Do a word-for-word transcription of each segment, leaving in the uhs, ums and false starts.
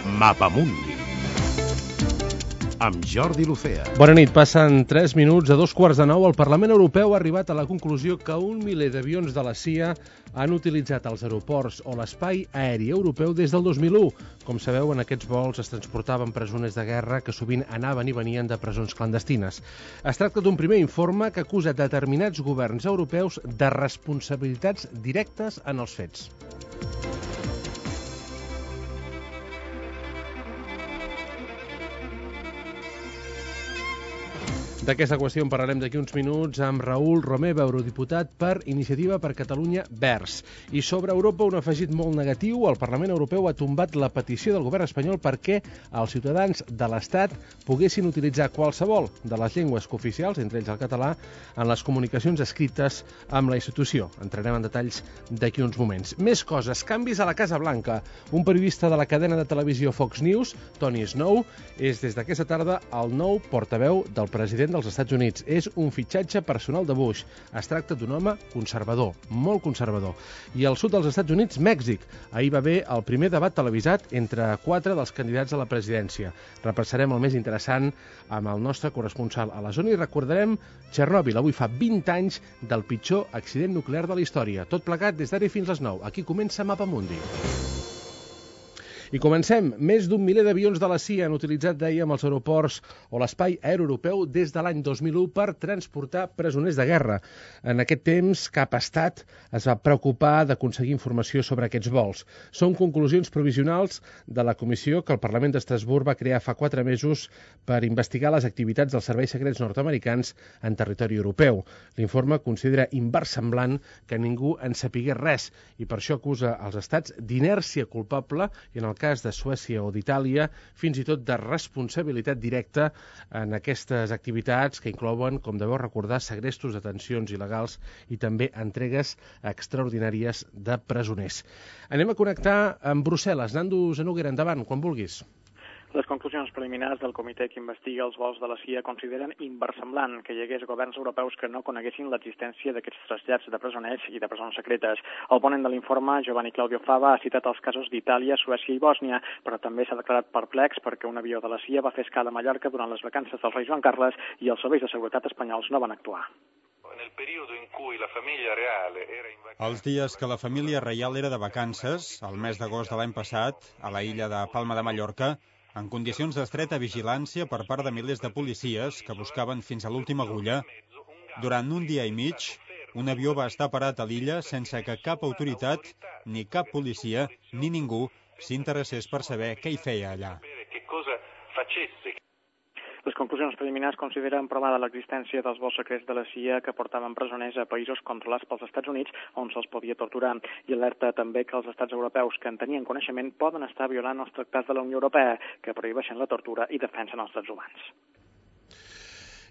Mapamundi amb Jordi Lucea. Bona nit, passen tres minuts a dos quarts de nou. El Parlament Europeu ha arribat a la conclusió que un miler d'avions de la C I A han utilitzat els aeroports o l'espai aeri europeu des del dos mil u. Com sabeu, en aquests vols es transportaven presoners de guerra que sovint anaven i venien de presons clandestines. Es tracta d'un primer informe que acusa determinats governs europeus de responsabilitats directes en els fets. D'aquesta qüestió en parlarem d'aquí uns minuts amb Raül Romeva, eurodiputat per Iniciativa per Catalunya Verds. I sobre Europa, un afegit molt negatiu. El Parlament Europeu ha tombat la petició del govern espanyol perquè els ciutadans de l'Estat poguessin utilitzar qualsevol de les llengües cooficials, entre ells el català, en les comunicacions escrites amb la institució. Entrarem en detalls d'aquí uns moments. Més coses. Canvis a la Casa Blanca. Un periodista de la cadena de televisió Fox News, Tony Snow, és des d'aquesta tarda el nou portaveu del president dels Estats Units. És un fitxatge personal de Bush. Es tracta d'un home conservador, molt conservador. I al sud dels Estats Units, Mèxic. Ahir va haver el primer debat televisat entre quatre dels candidats a la presidència. Repassarem el més interessant amb el nostre corresponsal a la zona i recordarem Txernòbil. Avui fa vint anys del pitjor accident nuclear de la història. Tot plegat des d'ara fins les nou. Aquí comença Mapamundi. I comencem. Més d'un miler d'avions de la C I A han utilitzat, dèiem, els aeroports o l'espai aeri europeu des de l'any dos mil u per transportar presoners de guerra. En aquest temps, cap estat es va preocupar d'aconseguir informació sobre aquests vols. Són conclusions provisionals de la comissió que el Parlament d'Estrasburg va crear fa quatre mesos per investigar les activitats dels serveis secrets nord-americans en territori europeu. L'informe considera inversemblant que ningú en sapigués res i per això acusa els estats d'inèrcia culpable i en el cas de Suècia o d'Itàlia, fins i tot de responsabilitat directa en aquestes activitats que inclouen, com deveu recordar, segrestos, detencions il·legals i també entregues extraordinàries de presoners. Anem a connectar amb Brussel·les. Nando Zanoguera, endavant, quan vulguis. Les conclusions preliminars del comitè que investiga els vols de la C I A consideren inversemblant que hi hagués governs europeus que no coneguessin l'existència d'aquests trasllats de presoners i de presons secretes. El ponent de l'informe, Giovanni Claudio Fava, ha citat els casos d'Itàlia, Suècia i Bòsnia, però també s'ha declarat perplex perquè un avió de la C I A va fer escala a Mallorca durant les vacances del rei Joan Carles i els serveis de seguretat espanyols no van actuar. Els dies que la família reial era de vacances, el mes d'agost de l'any passat, a la illa de Palma de Mallorca, en condicions d'estreta vigilància per part de milers de policies que buscaven fins a l'última agulla, durant un dia i mig, un avió va estar parat a l'illa sense que cap autoritat, ni cap policia, ni ningú s'interessés per saber què hi feia allà. Les conclusions preliminars consideren provada l'existència dels vols secrets de la C I A que portaven presoners a països controlats pels Estats Units on se'ls podia torturar i alerta també que els estats europeus que en tenien coneixement poden estar violant els tractats de la Unió Europea que prohibeixen la tortura i defensen els drets humans.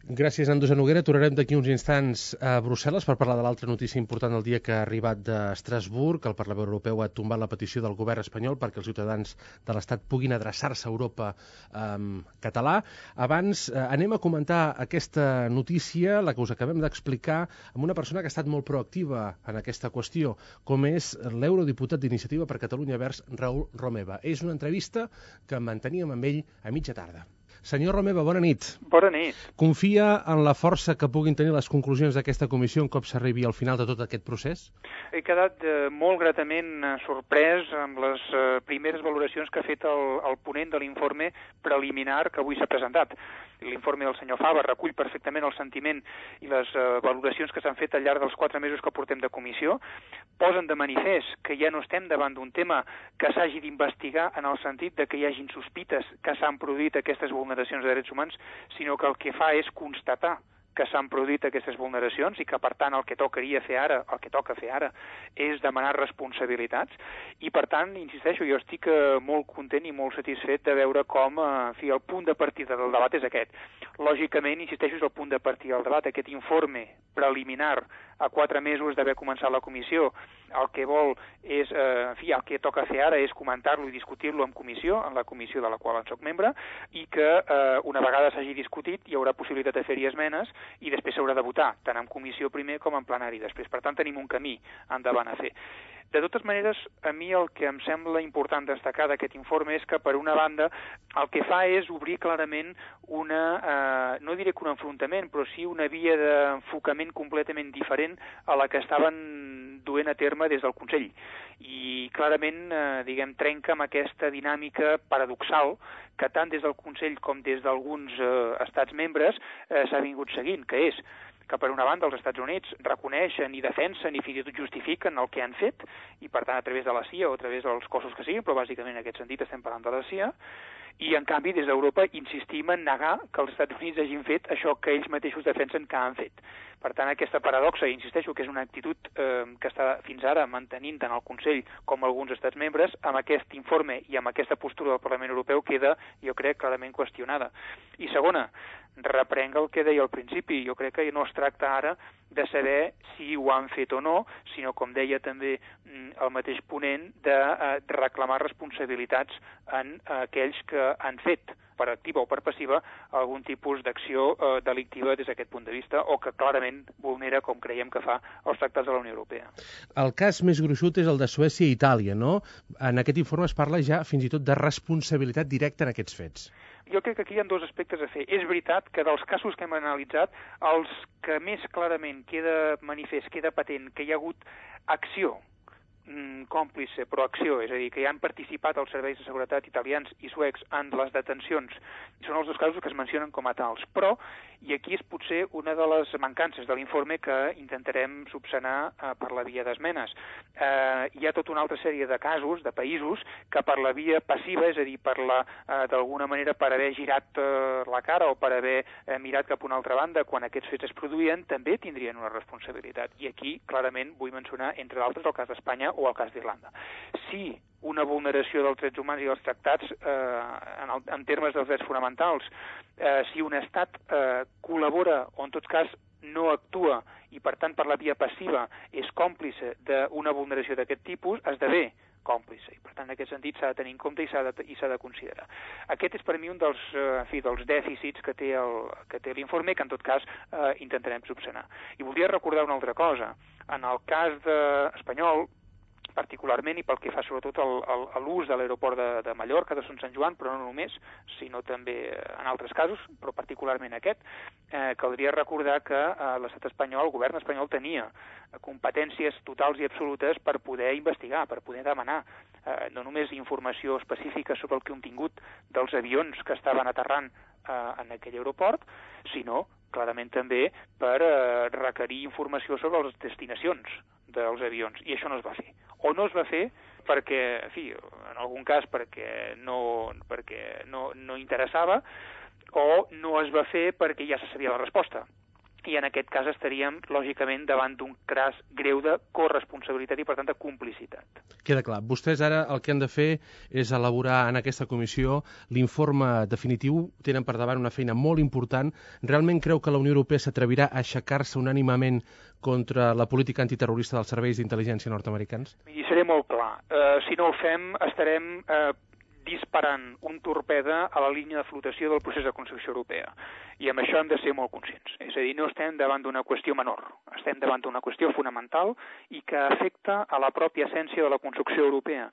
Gràcies, Nando Zanoguera. Tornarem d'aquí uns instants a Brussel·les per parlar de l'altra notícia important del dia que ha arribat d'Estrasburg, que el Parlament Europeu ha tombat la petició del govern espanyol perquè els ciutadans de l'Estat puguin adreçar-se a Europa en català. Abans eh, anem a comentar aquesta notícia, la que us acabem d'explicar, amb una persona que ha estat molt proactiva en aquesta qüestió, com és l'eurodiputat d'Iniciativa per Catalunya Verds, Raül Romeva. És una entrevista que manteníem amb ell a mitja tarda. Senyor Romeva, bona nit. Bona nit. Confia en la força que puguin tenir les conclusions d'aquesta comissió un cop s'arribi al final de tot aquest procés? He quedat eh, molt gratament eh, sorprès amb les eh, primeres valoracions que ha fet el, el ponent de l'informe preliminar que avui s'ha presentat. L'informe del senyor Fava recull perfectament el sentiment i les eh, valoracions que s'han fet al llarg dels quatre mesos que portem de comissió. Posen de manifest que ja no estem davant d'un tema que s'hagi d'investigar en el sentit de que hi hagin sospites que s'han produït aquestes vulneracions de drets humans, sinó que el que fa és constatar que s'han produït aquestes vulneracions i que, per tant, el que tocaria fer ara, el que toca fer ara, és demanar responsabilitats. I, per tant, insisteixo, jo estic eh, molt content i molt satisfet de veure com eh, en fi, el punt de partida del debat és aquest. Lògicament, insisteixo, és el punt de partida del debat, aquest informe preliminar a quatre mesos d'haver començat la comissió el que vol és, eh, en fi, el que toca fer ara és comentar-lo i discutir-lo en comissió, en la comissió de la qual en soc membre, i que eh, una vegada s'hagi discutit hi haurà possibilitat de fer-hi esmenes i després s'haurà de votar, tant en comissió primer com en plenari després. Per tant, tenim un camí endavant a fer. De totes maneres, a mi el que em sembla important destacar d'aquest informe és que, per una banda, el que fa és obrir clarament una, eh, no diré que un enfrontament, però sí una via d'enfocament completament diferent a la que estaven duent a terme des del Consell. I clarament, eh, diguem, trenca amb aquesta dinàmica paradoxal que tant des del Consell com des d'alguns eh, estats membres eh, s'ha vingut seguint, que és que per una banda els Estats Units reconeixen i defensen i fins i tot justifiquen el que han fet, i per tant a través de la C I A o a través dels cossos que siguin, però bàsicament en aquest sentit estem parlant de la C I A, i en canvi des d'Europa insistim en negar que els Estats Units hagin fet això que ells mateixos defensen que han fet. Per tant, aquesta paradoxa, i insisteixo que és una actitud eh, que està fins ara mantenint tant el Consell com alguns estats membres, amb aquest informe i amb aquesta postura del Parlament Europeu queda, jo crec, clarament qüestionada. I segona, reprenc el que deia al principi, jo crec que no es tracta ara de saber si ho han fet o no, sinó, com deia també el mateix ponent, de eh, reclamar responsabilitats en eh, aquells que han fet, per activa o per passiva, algun tipus d'acció eh, delictiva des d'aquest punt de vista, o que clarament vulnera, com creiem que fa, els tractats de la Unió Europea. El cas més gruixut és el de Suècia i Itàlia, no? En aquest informe es parla ja fins i tot de responsabilitat directa en aquests fets. Jo crec que aquí hi ha dos aspectes a fer. És veritat que dels casos que hem analitzat, els que més clarament queda manifest, queda patent, que hi ha hagut acció còmplice, però acció, és a dir, que hi han participat els serveis de seguretat italians i suecs en les detencions, són els dos casos que es mencionen com a tals. Però, i aquí és potser una de les mancances de l'informe que intentarem subsanar eh, per la via d'esmenes. Eh, hi ha tota una altra sèrie de casos, de països, que per la via passiva, és a dir, per la, eh, d'alguna manera per haver girat eh, la cara o per haver eh, mirat cap a una altra banda quan aquests fets es produïen, també tindrien una responsabilitat. I aquí, clarament, vull mencionar, entre d'altres, el cas d'Espanya o el cas d'Irlanda. Si una vulneració dels drets humans i dels tractats eh, en, el, en termes dels drets fonamentals, eh, si un estat eh, col·labora o en tot cas no actua i per tant per la via passiva és còmplice d'una vulneració d'aquest tipus, esdevé còmplice. I per tant en aquest sentit s'ha de tenir en compte i s'ha de, i s'ha de considerar. Aquest és per mi un dels, eh, en fi, dels dèficits que té el, que té l'informe, que en tot cas eh, intentarem subsanar. I voldria recordar una altra cosa. En el cas de espanyol, particularment, i pel que fa sobretot a l'ús de l'aeroport de, de Mallorca, de Son Sant Joan, però no només, sinó també en altres casos, però particularment aquest, eh, caldria recordar que eh, l'estat espanyol, el govern espanyol, tenia competències totals i absolutes per poder investigar, per poder demanar eh, no només informació específica sobre el contingut dels avions que estaven aterrant eh, en aquell aeroport, sinó clarament també per eh, requerir informació sobre les destinacions dels avions, i això no es va fer. O no es va fer perquè, en fi, en algun cas perquè no, perquè no, no interessava, o no es va fer perquè ja se sabia la resposta. I en aquest cas estaríem, lògicament, davant d'un cas greu de corresponsabilitat i, per tant, de complicitat. Queda clar. Vostès ara el que han de fer és elaborar en aquesta comissió l'informe definitiu. Tenen per davant una feina molt important. Realment creu que la Unió Europea s'atrevirà a aixecar-se unànimement contra la política antiterrorista dels serveis d'intel·ligència nord-americans? I seré molt clar. Uh, si no ho fem, estarem uh, disparant un torpede a la línia de flotació del procés de construcció europea. I amb això hem de ser molt conscients. És a dir, no estem davant d'una qüestió menor, estem davant d'una qüestió fonamental i que afecta a la pròpia essència de la construcció europea.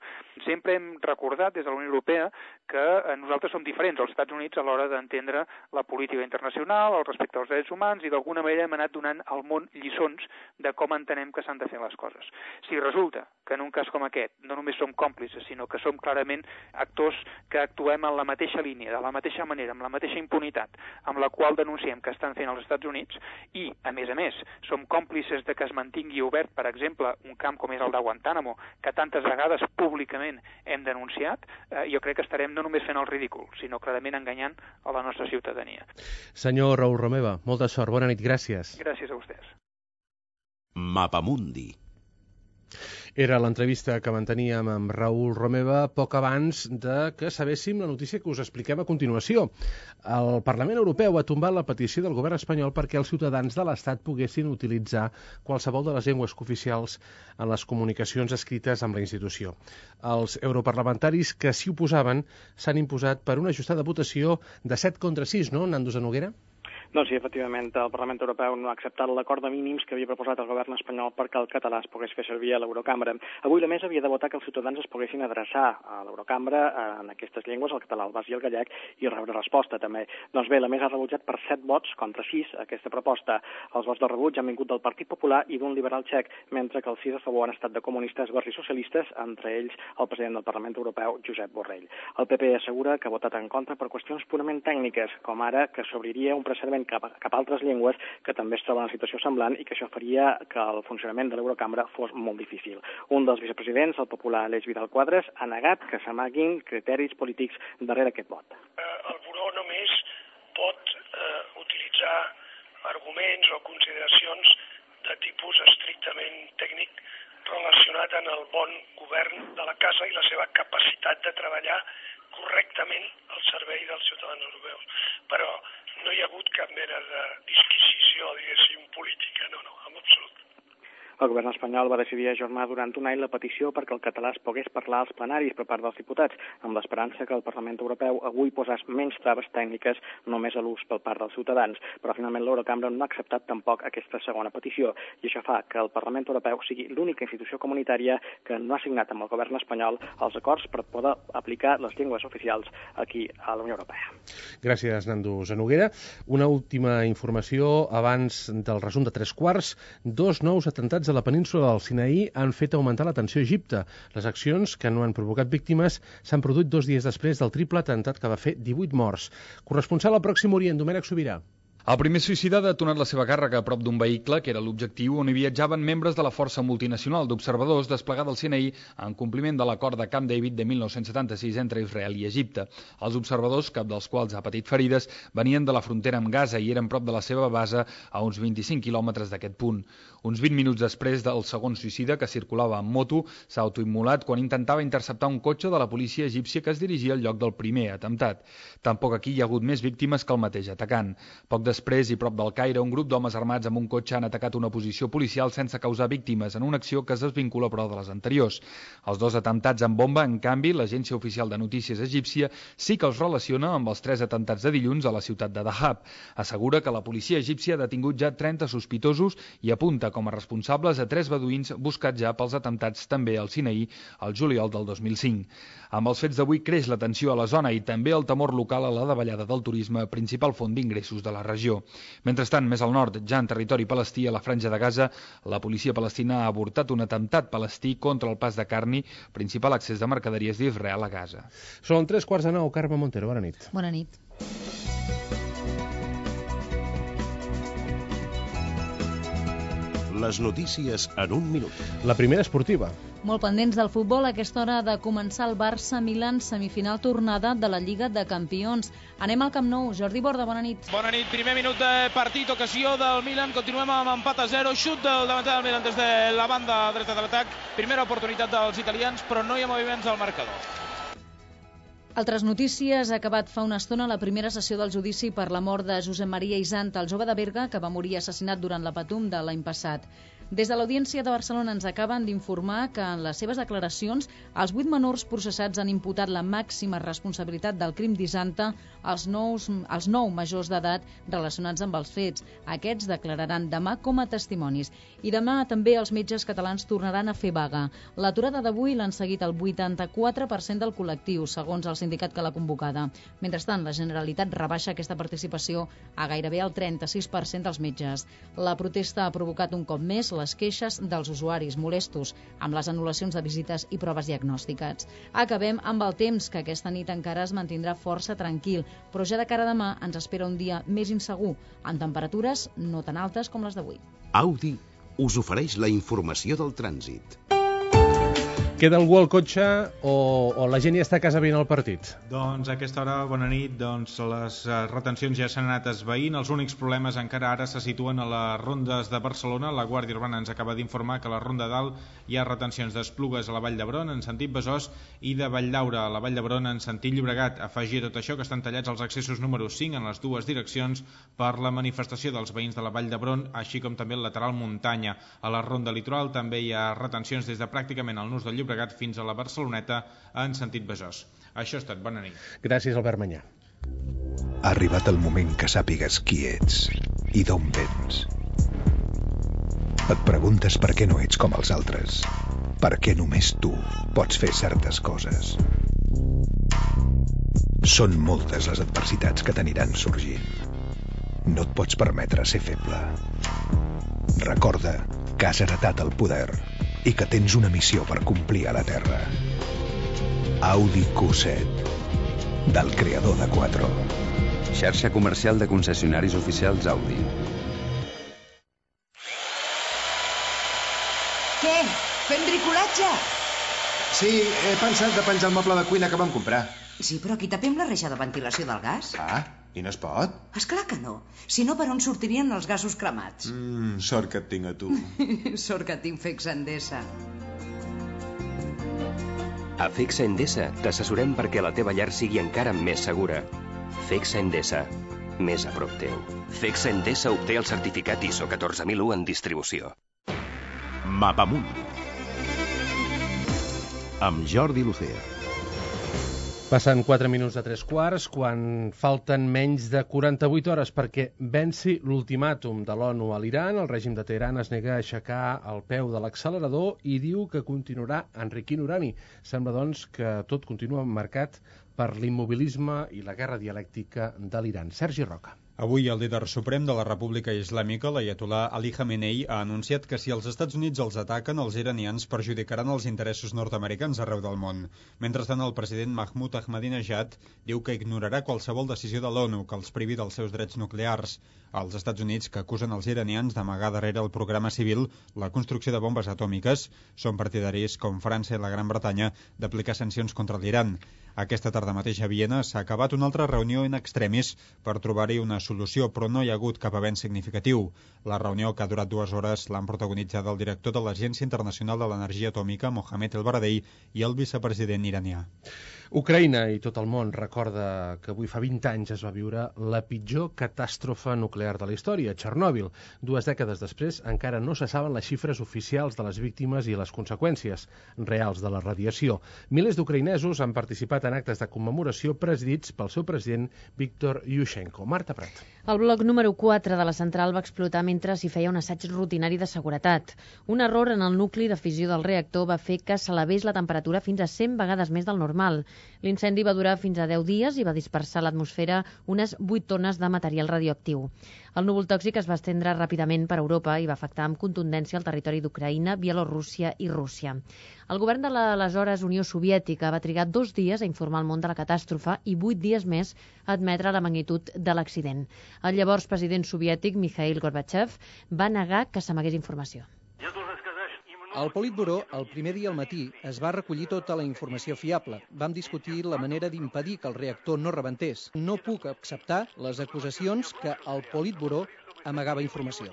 Sempre hem recordat des de la Unió Europea que nosaltres som diferents als Estats Units a l'hora d'entendre la política internacional, el respecte als drets humans, i d'alguna manera hem anat donant al món lliçons de com entenem que s'han de fer les coses. Si resulta que en un cas com aquest no només som còmplices, sinó que som clarament actors que actuem en la mateixa línia, de la mateixa manera, amb la mateixa impunitat, amb la qual denunciem que estan fent els Estats Units, i, a més a més, som còmplices de que es mantingui obert, per exemple, un camp com és el de Guantánamo, que tantes vegades públicament hem denunciat, eh, jo crec que estarem no només fent el ridícul, sinó clarament enganyant a la nostra ciutadania. Senyor Raül Romeva, molta sort, bona nit, gràcies. Gràcies a vostès. Mapamundi. Era l'entrevista que manteníem amb Raül Romeva poc abans de que sabéssim la notícia que us expliquem a continuació. El Parlament Europeu ha tombat la petició del govern espanyol perquè els ciutadans de l'Estat poguessin utilitzar qualsevol de les llengües cooficials en les comunicacions escrites amb la institució. Els europarlamentaris que s'hi oposaven s'han imposat per una ajustada votació de set contra sis, no, Nando Zanoguera? Doncs sí, efectivament, el Parlament Europeu no ha acceptat l'acord de mínims que havia proposat el govern espanyol perquè el català es pogués fer servir a l'Eurocambra. Avui la mesa havia de votar que els ciutadans es poguessin adreçar a l'Eurocambra en aquestes llengües, el català, el basc i el gallec, i rebre resposta també. Doncs bé, la mesa ha rebutjat per set vots contra sis aquesta proposta. Els vots de rebuig han vingut del Partit Popular i d'un liberal txec, mentre que els sis a favor han estat de comunistes, verds i socialistes, entre ells el president del Parlament Europeu, Josep Borrell. El P P assegura que ha votat en contra per qüestions purament tècniques, com ara que s'obriria un precedent cap a, cap a altres llengües que també es troben en una situació semblant i que això faria que el funcionament de l'Eurocambra fos molt difícil. Un dels vicepresidents, el popular Aleix Vidal Quadras, ha negat que s'amaguin criteris polítics darrere aquest vot. El Buró només pot eh, utilitzar arguments o consideracions de tipus estrictament tècnic relacionat amb el bon govern de la casa i la seva capacitat de treballar correctament al servei dels ciutadans europeus. Però no hi ha hagut cap mena de disquisició, diguéssim, política, no, no, en absolut. El govern espanyol va decidir ajornar durant un any la petició perquè el català es pogués parlar als plenaris per part dels diputats, amb l'esperança que el Parlament Europeu avui posés menys traves tècniques només a l'ús per part dels ciutadans. Però finalment l'Eurocambra no ha acceptat tampoc aquesta segona petició i això fa que el Parlament Europeu sigui l'única institució comunitària que no ha signat amb el govern espanyol els acords per poder aplicar les llengües oficials aquí a la Unió Europea. Gràcies, Nando Zanoguera. Una última informació abans del resum de tres quarts. Dos nous atentats a la península del Sinaí han fet augmentar la tensió a Egipte. Les accions, que no han provocat víctimes, s'han produït dos dies després del triple atemptat que va fer divuit morts. Corresponsal al Pròxim Orient, Domènec Sobirà. El primer suïcida ha detonat la seva càrrega a prop d'un vehicle, que era l'objectiu, on hi viatjaven membres de la Força Multinacional d'Observadors desplegada al Sinaí en compliment de l'acord de Camp David de mil nou-cents setanta-sis entre Israel i Egipte. Els observadors, cap dels quals ha patit ferides, venien de la frontera amb Gaza i eren prop de la seva base a uns vint-i-cinc quilòmetres d'aquest punt. Uns vint minuts després del segon suïcida, que circulava amb moto, s'ha autoimmolat quan intentava interceptar un cotxe de la policia egípcia que es dirigia al lloc del primer atemptat. Tampoc aquí hi ha hagut més víctimes que el mateix atacant. Poc després, i prop del Caire, un grup d'homes armats amb un cotxe han atacat una posició policial sense causar víctimes en una acció que es desvincula però de les anteriors. Els dos atemptats amb bomba, en canvi, l'agència oficial de notícies egípcia sí que els relaciona amb els tres atemptats de dilluns a la ciutat de Dahab. Assegura que la policia egípcia ha detingut ja trenta sospitosos i apunta com a responsables a tres beduïns buscats ja pels atemptats també al Sinaí el juliol del dos mil cinc. Amb els fets d'avui creix la tensió a la zona i també el temor local a la davallada del turisme, principal font d'ingressos de la regió. Mentrestant, més al nord, ja en territori palestí, a la Franja de Gaza, la policia palestina ha avortat un atemptat palestí contra el pas de Carni, principal accés de mercaderies d'Israel a Gaza. Són tres quarts de nou. Carme Montero, bona nit. Bona nit. Les notícies en un minut. La primera esportiva. Molt pendents del futbol, a aquesta hora de començar el Barça-Milan semifinal tornada de la Lliga de Campions. Anem al Camp Nou. Jordi Borda, bona nit. Bona nit, primer minut de partit, ocasió del Milan. Continuem amb empat a zero, xut del davanter del Milan des de la banda dreta de l'atac. Primera oportunitat dels italians, però no hi ha moviments al marcador. Altres notícies. Ha acabat fa una estona la primera sessió del judici per la mort de Josep Maria Isant, el jove de Berga, que va morir assassinat durant la Patum de l'any passat. Des de l'Audiència de Barcelona ens acaben d'informar que en les seves declaracions els vuit menors processats han imputat la màxima responsabilitat del crim d'Isanta als, nous, als nou majors d'edat relacionats amb els fets. Aquests declararan demà com a testimonis. I demà també els metges catalans tornaran a fer vaga. L'aturada d'avui l'han seguit el vuitanta-quatre per cent del col·lectiu, segons el sindicat que l'ha convocada. Mentrestant, la Generalitat rebaixa aquesta participació a gairebé el trenta-sis per cent dels metges. La protesta ha provocat un cop més les queixes dels usuaris molestos amb les anul·lacions de visites i proves diagnòstiques. Acabem amb el temps, que aquesta nit encara es mantindrà força tranquil, però ja de cara a demà ens espera un dia més insegur, amb temperatures no tan altes com les d'avui. Audi us ofereix la informació del trànsit. Queda algú al cotxe o, o la gent ja està a casa veient el partit? Doncs a aquesta hora, bona nit, doncs les retencions ja s'han anat esvaint. Els únics problemes encara ara se situen a les rondes de Barcelona. La Guàrdia Urbana ens acaba d'informar que a la Ronda Dalt hi ha retencions d'Esplugues a la Vall d'Hebron en sentit Besòs i de Valldaura a la Vall d'Hebron en sentit Llobregat. Afegir a tot això que estan tallats els accessos número cinc en les dues direccions per la manifestació dels veïns de la Vall d'Hebron, així com també el lateral muntanya. A la Ronda Litoral també hi ha retencions des de pràcticament el nus del Llobregat fins a la Barceloneta en sentit Besòs. Això ha estat. Bona nit. Gràcies, Albert Manyà. Ha arribat el moment que sàpigues qui ets i d'on vens. Et preguntes per què no ets com els altres. Per què només tu pots fer certes coses. Són moltes les adversitats que t'aniran sorgint. No et pots permetre ser feble. Recorda que has heretat el poder i que tens una missió per complir a la Terra. Audi Q set, del creador de Quattro. Xarxa comercial de concessionaris oficials Audi. Què? Fem bricolatge? Sí, he pensat de penjar el moble de cuina que vam comprar. Sí, però aquí tapem la reixa de ventilació del gas. Ah, i no es pot? Esclar que no. Si no, per on sortirien els gasos cremats? Mm, sort que et tinc a tu. Sort que tinc Fexa Endesa. A Fexa Endesa t'assessorem perquè la teva llar sigui encara més segura. Fexa Endesa, més a prop teu. Fexa Endesa obté el certificat I S O catorze mil u en distribució. Mapamunt. Amb Jordi Lucea. Passen quatre minuts de tres quarts quan falten menys de quaranta-vuit hores perquè venci l'ultimàtum de l'ONU a l'Iran. El règim de Teheran es nega a aixecar el peu de l'accelerador i diu que continuarà enriquint urani. Sembla, doncs, que tot continua marcat per l'immobilisme i la guerra dialèctica de l'Iran. Sergi Roca. Avui el líder suprem de la República Islàmica, l'aiatolà Ali Khamenei, ha anunciat que si els Estats Units els ataquen, els iranians perjudicaran els interessos nord-americans arreu del món. Mentrestant, el president Mahmoud Ahmadinejad diu que ignorarà qualsevol decisió de l'ONU que els privi dels seus drets nuclears. Els Estats Units, que acusen els iranians d'amagar darrere el programa civil la construcció de bombes atòmiques, són partidaris, com França i la Gran Bretanya, d'aplicar sancions contra l'Iran. Aquesta tarda mateix a Viena s'ha acabat una altra reunió in extremis per trobar-hi una solució, però no hi ha hagut cap avenç significatiu. La reunió, que ha durat dues hores, l'han protagonitzat el director de l'Agència Internacional de l'Energia Atòmica, Mohamed El Baradei, i el vicepresident iranià. Ucraïna i tot el món recorda que avui fa vint anys es va viure la pitjor catàstrofe nuclear de la història, Txernòbil. Dues dècades després encara no se saben les xifres oficials de les víctimes i les conseqüències reals de la radiació. Milers d'ucraïnesos han participat en actes de commemoració presidits pel seu president Víctor Yushchenko. Marta Prat. El bloc número quatre de la central va explotar mentre s'hi feia un assaig rutinari de seguretat. Un error en el nucli de fissió del reactor va fer que s'elevés la temperatura fins a cent vegades més del normal. L'incendi va durar fins a deu dies i va dispersar a l'atmosfera unes vuit tones de material radioactiu. El núvol tòxic es va estendre ràpidament per Europa i va afectar amb contundència el territori d'Ucraïna, Bielorússia i Rússia. El govern de l'aleshores Unió Soviètica va trigar dos dies a informar el món de la catàstrofe i vuit dies més a admetre la magnitud de l'accident. El llavors president soviètic, Mikhail Gorbachev, va negar que s'amagués informació. Al Politburó, el primer dia al matí, es va recollir tota la informació fiable. Vam discutir la manera d'impedir que el reactor no rebentés. No puc acceptar les acusacions que el Politburó amagava informació.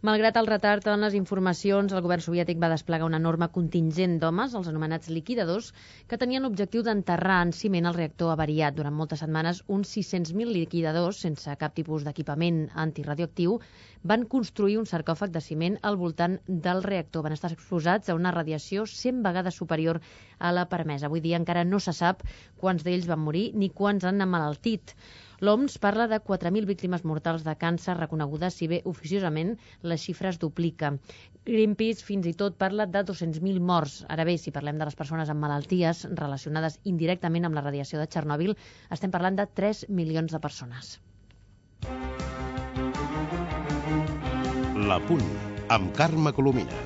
Malgrat el retard en les informacions, el govern soviètic va desplegar una enorme contingent d'homes, els anomenats liquidadors, que tenien l'objectiu d'enterrar en ciment el reactor avariat. Durant moltes setmanes, uns sis-cents mil liquidadors, sense cap tipus d'equipament antiradioactiu, van construir un sarcòfag de ciment al voltant del reactor. Van estar exposats a una radiació cent vegades superior a la permesa. Avui dia encara no se sap quants d'ells van morir ni quants han emmalaltit. L'O M S parla de quatre mil víctimes mortals de càncer reconegudes, si bé oficiosament les xifres duplica. Greenpeace fins i tot parla de dos-cents mil morts. Ara bé, si parlem de les persones amb malalties relacionades indirectament amb la radiació de Txernòbil, estem parlant de tres milions de persones. La Punt, amb Carme Colomina.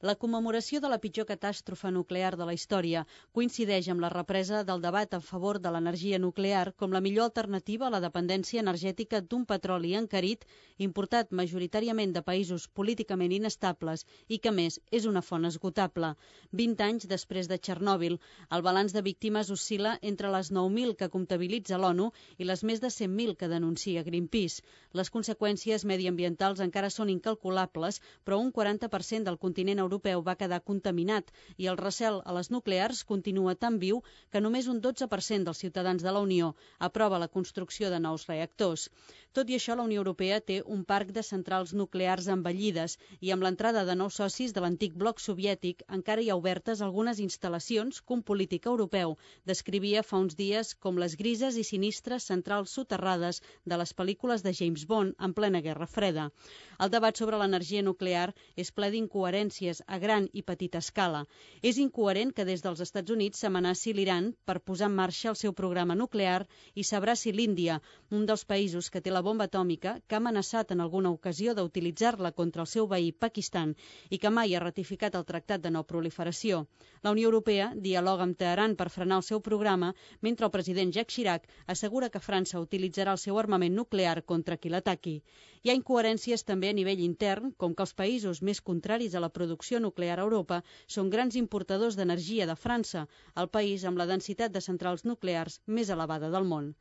La commemoració de la pitjor catàstrofe nuclear de la història coincideix amb la represa del debat a favor de l'energia nuclear com la millor alternativa a la dependència energètica d'un petroli encarit, importat majoritàriament de països políticament inestables i que, a més, és una font esgotable. vint anys després de Txernòbil, el balanç de víctimes oscil·la entre les nou mil que comptabilitza l'ONU i les més de cent mil que denuncia Greenpeace. Les conseqüències mediambientals encara són incalculables, però un quaranta per cent del continent europeu europeu va quedar contaminat i el recel a les nuclears continua tan viu que només un dotze per cent dels ciutadans de la Unió aprova la construcció de nous reactors. Tot i això, la Unió Europea té un parc de centrals nuclears envellides i amb l'entrada de nous socis de l'antic bloc soviètic encara hi ha obertes algunes instal·lacions que un polític europeu descrivia fa uns dies com les grises i sinistres centrals soterrades de les pel·lícules de James Bond en plena Guerra Freda. El debat sobre l'energia nuclear és ple d'incoherències a gran i petita escala. És incoherent que des dels Estats Units s'amenaci l'Iran per posar en marxa el seu programa nuclear i s'abraci l'Índia, un dels països que té la bomba atòmica, que ha amenaçat en alguna ocasió d'utilitzar-la contra el seu veí Pakistan i que mai ha ratificat el Tractat de No Proliferació. La Unió Europea dialoga amb Teheran per frenar el seu programa, mentre el president Jacques Chirac assegura que França utilitzarà el seu armament nuclear contra qui l'ataqui. Hi ha incoherències també a nivell intern, com que els països més contraris a la producció nuclear a Europa són grans importadors d'energia de França, el país amb la densitat de centrals nuclears més elevada del món.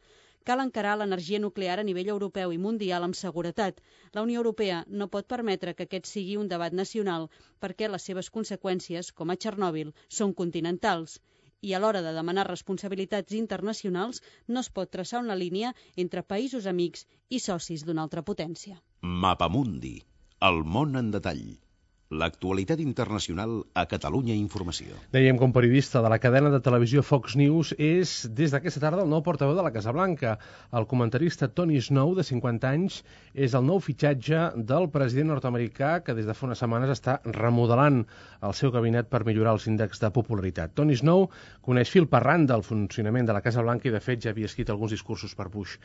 Cal encarar l'energia nuclear a nivell europeu i mundial amb seguretat. La Unió Europea no pot permetre que aquest sigui un debat nacional perquè les seves conseqüències, com a Txernòbil, són continentals. I a l'hora de demanar responsabilitats internacionals no es pot traçar una línia entre països amics i socis d'una altra potència. Mapamundi, el món en detall. L'actualitat internacional a Catalunya Informació. Dèiem que un periodista de la cadena de televisió Fox News és, des d'aquesta tarda, el nou portaveu de la Casa Blanca. El comentarista Tony Snow, de cinquanta anys, és el nou fitxatge del president nord-americà que des de fa unes setmanes està remodelant el seu gabinet per millorar els índexs de popularitat. Tony Snow coneix fil per randa el funcionament de la Casa Blanca i, de fet, ja havia escrit alguns discursos per Bush.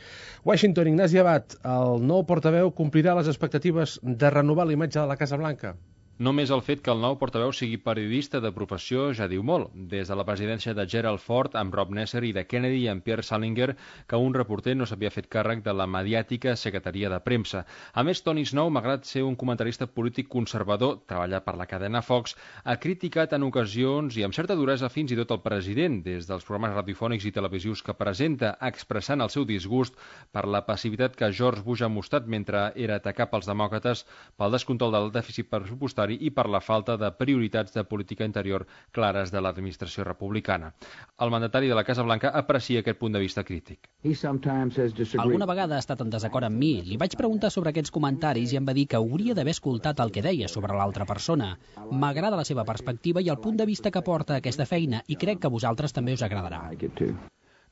Washington, Ignasi Abad, el nou portaveu complirà les expectatives de renovar la imatge de la Casa Blanca? Només el fet que el nou portaveu sigui periodista de professió ja diu molt. Des de la presidència de Gerald Ford amb Rob Nesser i de Kennedy amb Pierre Salinger, que un reporter no s'havia fet càrrec de la mediàtica secretaria de premsa. A més, Tony Snow, malgrat ser un comentarista polític conservador, treballar per la cadena Fox, ha criticat en ocasions i amb certa duresa fins i tot el president, des dels programes radiofònics i televisius que presenta, expressant el seu disgust per la passivitat que George Bush ha mostrat mentre era atacat pels demòcrates pel descontrol del dèficit pressupostari i per la falta de prioritats de política interior clares de l'administració republicana. El mandatari de la Casa Blanca aprecia aquest punt de vista crític. Alguna vegada ha estat en desacord amb mi. Li vaig preguntar sobre aquests comentaris i em va dir que hauria d'haver escoltat el que deia sobre l'altra persona. M'agrada la seva perspectiva i el punt de vista que porta a aquesta feina i crec que a vosaltres també us agradarà.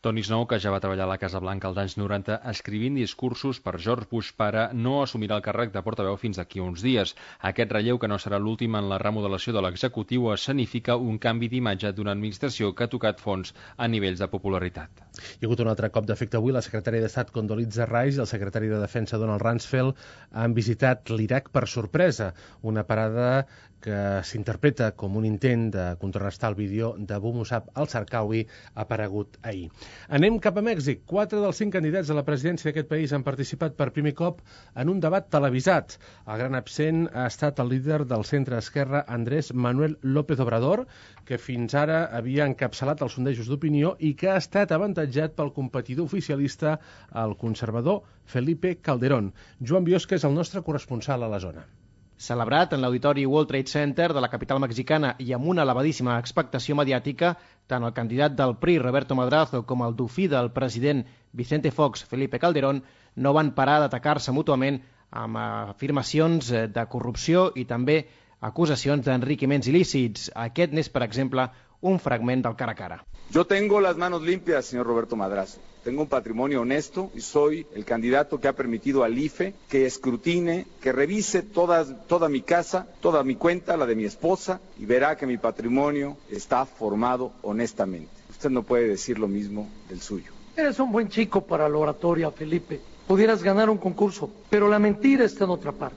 Tony Snow, que ja va treballar a la Casa Blanca als anys noranta escrivint discursos per George Bush pare, no assumirà el càrrec de portaveu fins d'aquí uns dies. Aquest relleu, que no serà l'últim en la remodelació de l'executiu, escenifica un canvi d'imatge d'una administració que ha tocat fons a nivells de popularitat. Hi ha hagut un altre cop d'efecte avui. La secretària d'Estat Condoleezza Rice i el secretari de Defensa Donald Rumsfeld han visitat l'Iraq per sorpresa, una parada que s'interpreta com un intent de contrarrestar el vídeo d'Abu Musab al-Zarqawi aparegut ahir. Anem cap a Mèxic. Quatre dels cinc candidats a la presidència d'aquest país han participat per primer cop en un debat televisat. El gran absent ha estat el líder del centre-esquerra Andrés Manuel López Obrador, que fins ara havia encapçalat els sondejos d'opinió i que ha estat avantatjat pel competidor oficialista, el conservador Felipe Calderón. Joan Biosca és el nostre corresponsal a la zona. Celebrat en l'auditori World Trade Center de la capital mexicana i amb una elevadíssima expectació mediàtica, tant el candidat del P R I, Roberto Madrazo, com el dofí del president Vicente Fox, Felipe Calderón, no van parar d'atacar-se mútuament amb afirmacions de corrupció i també acusacions d'enriquiments il·lícits. Aquest n'és, per exemple, un fragment del cara a cara. Yo tengo las manos limpias, señor Roberto Madrazo. Tengo un patrimonio honesto y soy el candidato que ha permitido al I F E que escrutine, que revise toda, toda mi casa, toda mi cuenta, la de mi esposa, y verá que mi patrimonio está formado honestamente. Usted no puede decir lo mismo del suyo. Eres un buen chico para la oratoria, Felipe. Pudieras ganar un concurso, pero la mentira está en otra parte.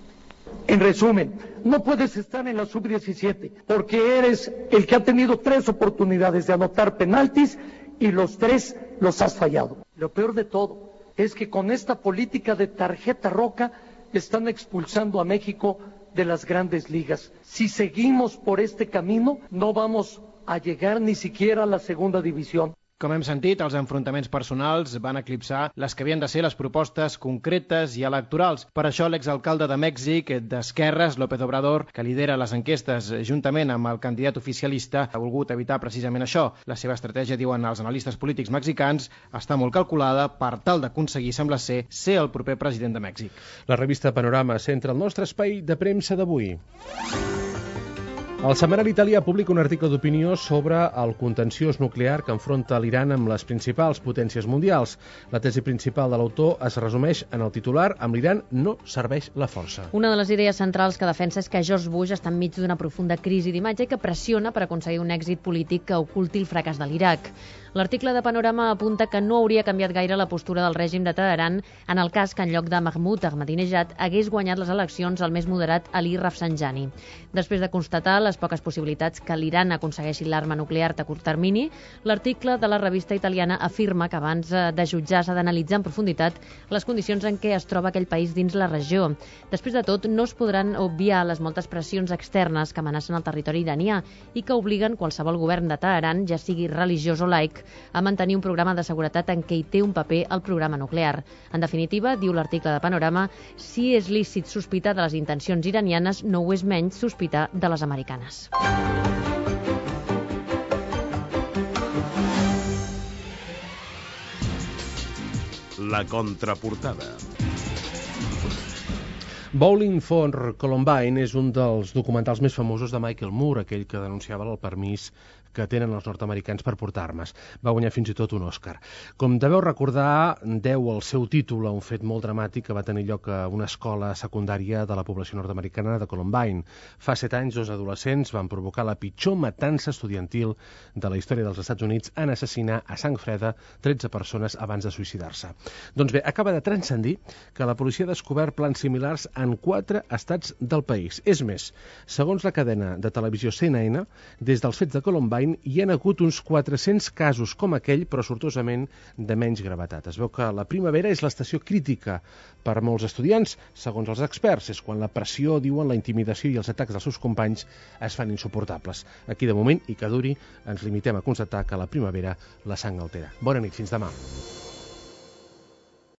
En resumen, no puedes estar en la sub diecisiete porque eres el que ha tenido tres oportunidades de anotar penaltis y los tres los has fallado. Lo peor de todo es que con esta política de tarjeta roja están expulsando a México de las grandes ligas. Si seguimos por este camino, no vamos a llegar ni siquiera a la segunda división. Com hem sentit, els enfrontaments personals van eclipsar les que havien de ser les propostes concretes i electorals. Per això l'exalcalde de Mèxic, d'Esquerres, López Obrador, que lidera les enquestes juntament amb el candidat oficialista, ha volgut evitar precisament això. La seva estratègia, diuen els analistes polítics mexicans, està molt calculada per tal d'aconseguir, sembla ser, ser el proper president de Mèxic. La revista Panorama centra el nostre espai de premsa d'avui. El setmanari italià publica un article d'opinió sobre el contenciós nuclear que enfronta l'Iran amb les principals potències mundials. La tesi principal de l'autor es resumeix en el titular: amb l'Iran no serveix la força. Una de les idees centrals que defensa és que George Bush està enmig d'una profunda crisi d'imatge i que pressiona per aconseguir un èxit polític que oculti el fracàs de l'Iraq. L'article de Panorama apunta que no hauria canviat gaire la postura del règim de Teheran en el cas que en lloc de Mahmoud Ahmadinejad hagués guanyat les eleccions el més moderat Ali Rafsanjani. Després de constatar les poques possibilitats que l'Iran aconsegueixi l'arma nuclear a curt termini, l'article de la revista italiana afirma que abans de jutjar s'ha d'analitzar en profunditat les condicions en què es troba aquell país dins la regió. Després de tot, no es podran obviar les moltes pressions externes que amenacen el territori iranià i que obliguen qualsevol govern de Teheran, ja sigui religiós o laic, a mantenir un programa de seguretat en què hi té un paper el programa nuclear. En definitiva, diu l'article de Panorama, si és lícit sospitar de les intencions iranianes, no ho és menys sospitar de les americanes. La contraportada. Bowling for Columbine és un dels documentals més famosos de Michael Moore, aquell que denunciava el permís que tenen els nord-americans per portar armes. Va guanyar fins i tot un Òscar. Com deveu recordar, deu el seu títol a un fet molt dramàtic que va tenir lloc a una escola secundària de la població nord-americana de Columbine. Fa set anys, dos adolescents van provocar la pitjor matança estudiantil de la història dels Estats Units en assassinar a sang freda tretze persones abans de suïcidar-se. Doncs bé, acaba de transcendir que la policia ha descobert plans similars en quatre estats del país. És més, segons la cadena de televisió C N N, des dels fets de Columbine hi ha hagut uns quatre-cents casos com aquell, però sortosament de menys gravetat. Es veu que la primavera és l'estació crítica per a molts estudiants, segons els experts. És quan la pressió, diuen, la intimidació i els atacs dels seus companys es fan insuportables. Aquí, de moment, i que duri, ens limitem a constatar que la primavera la sang altera. Bona nit, fins demà.